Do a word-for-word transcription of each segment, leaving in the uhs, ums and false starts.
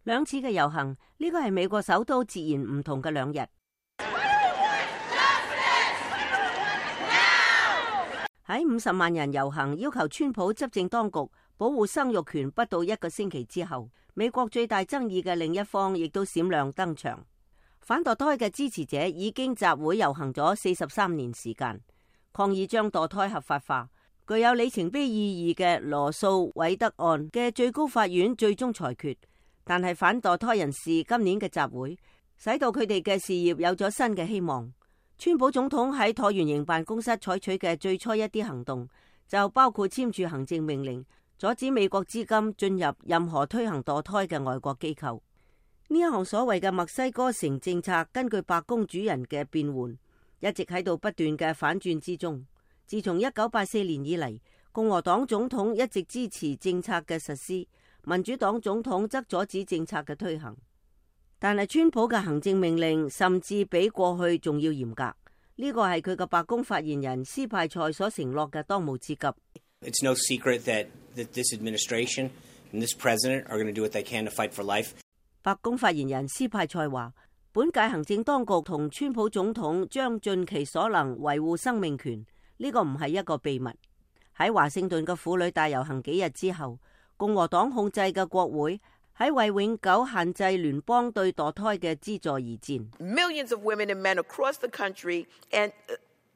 兩次嘅遊行，呢個係美國首都截然唔同嘅兩日。喺五十萬人遊行要求川普執政當局保護生育權不到一個星期之後，美國最大爭議嘅另一方亦都閃亮登場。反墮胎嘅支持者已經集會遊行咗四十三年時間，抗議將墮胎合法化。具有里程碑意義嘅羅訴韋德案嘅最高法院最終裁決，但係反墮胎人士今年嘅集會使到佢哋嘅事業有咗新嘅希望。川普總統喺橢圓形辦公室採取嘅最初一啲行動，就包括簽署行政命令，阻止美國資金進入任何推行墮胎嘅外國機構。呢一項所謂嘅墨西哥城政策，根據白宮主人嘅變換，一直喺度不斷嘅反轉之中。自從一九八四年以嚟，共和黨總統一直支持政策嘅實施，民主黨總統則阻止政策嘅推行。但係川普嘅行政命令甚至比過去仲要嚴格，呢個係佢嘅白宮發言人斯派塞所承諾嘅當務之急。It's no secret that this administration and this president are going to do what they can to fight for life. 白宮發言人斯派塞話，本屆行政當局同川普總統將盡其所能維護生命權，呢個唔係一個秘密。喺華盛頓嘅婦女大遊行幾日之後，共和黨控制嘅國會喺為永久限制聯邦對墮胎嘅資助而戰。Millions of women and men across the country and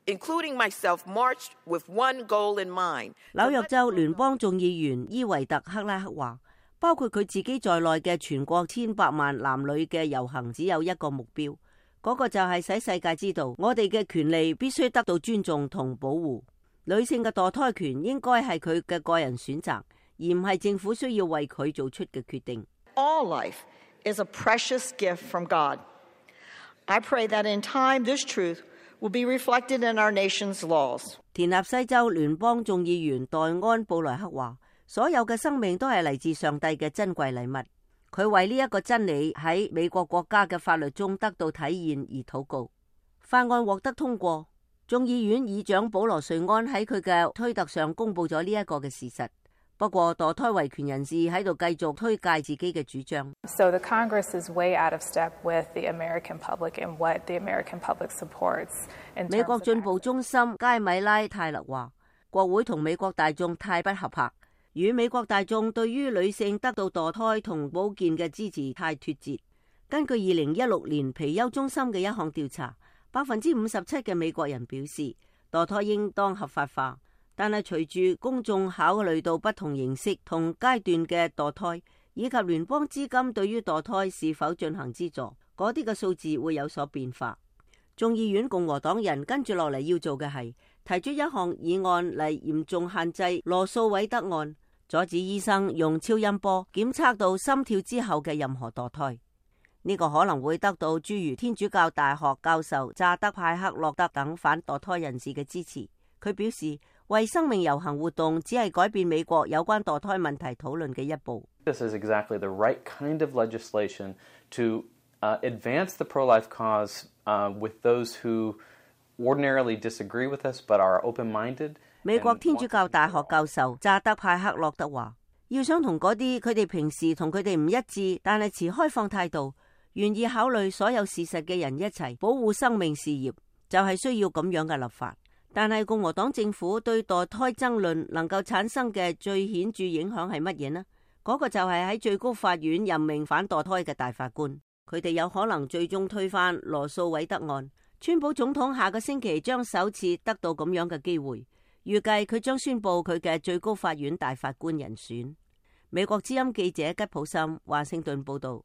including myself marched with one goal in mind. 紐約州聯邦眾議員伊維特克拉克話，包括佢自己在內嘅全國千百萬男女嘅遊行只有一個目標，嗰個就係使世界知道我哋嘅權利必須得到尊重同保護。女性嘅墮胎權應該係佢嘅個人選擇，而唔係政府需要為佢做出嘅決定。All life is a precious gift from God. I pray that in time this truth will be reflected in our nation's laws. 田納西州聯邦眾議員黛安布萊克話，所有嘅生命都係嚟自上帝嘅珍貴禮物。佢為呢一個真理喺美國國家嘅法律中得到體現而禱告。法案獲得通過，眾議院議長保羅瑞安喺佢嘅推特上公布咗呢一個嘅事實。不過墮胎維權人士喺度繼續推介自己嘅主張。So the Congress is way out of step with the American public and what the American public supports. 美國進步中心佳米拉泰勒話，國會同美國大眾太不合拍，與美國大眾對於女性得到墮胎同保健嘅支持太脫節。根據二零一六年皮尤中心嘅一項調查，百分之五十七嘅美國人表示墮胎應當合法化。但係隨住公眾考慮到不同形式同階段嘅墮胎，以及聯邦資金對於墮胎是否進行資助，嗰啲嘅數字會有所變化。眾議院共和黨人跟住落嚟要做嘅係提出一項議案嚟嚴重限制羅訴韋德案，阻止醫生用超音波檢測到心跳之後嘅任何墮胎。呢個可能會得到諸如天主教大學教授扎德派克洛德等反墮胎人士嘅支持。佢表示，為生命遊行活動只係改變美國有關墮胎問題討論嘅一步。This is exactly the right kind of legislation to uh, advance the pro-life cause uh, with those who ordinarily disagree with us but are open-minded. 美國天主教大學教授扎德派克洛德話，要想同嗰啲佢哋平時同佢哋唔一致，但係持開放態度，願意考慮所有事實嘅人一齊保護生命事業，就係需要咁樣嘅立法。但係共和黨政府對墮胎爭論能夠產生嘅最顯著影響係乜嘢呢？嗰個就係喺最高法院任命反墮胎嘅大法官，佢哋有可能最終推翻羅訴韋德案。川普總統下個星期將首次得到咁樣嘅機會，預計佢將宣布佢嘅最高法院大法官人選。美國之音記者吉普森華盛頓報道。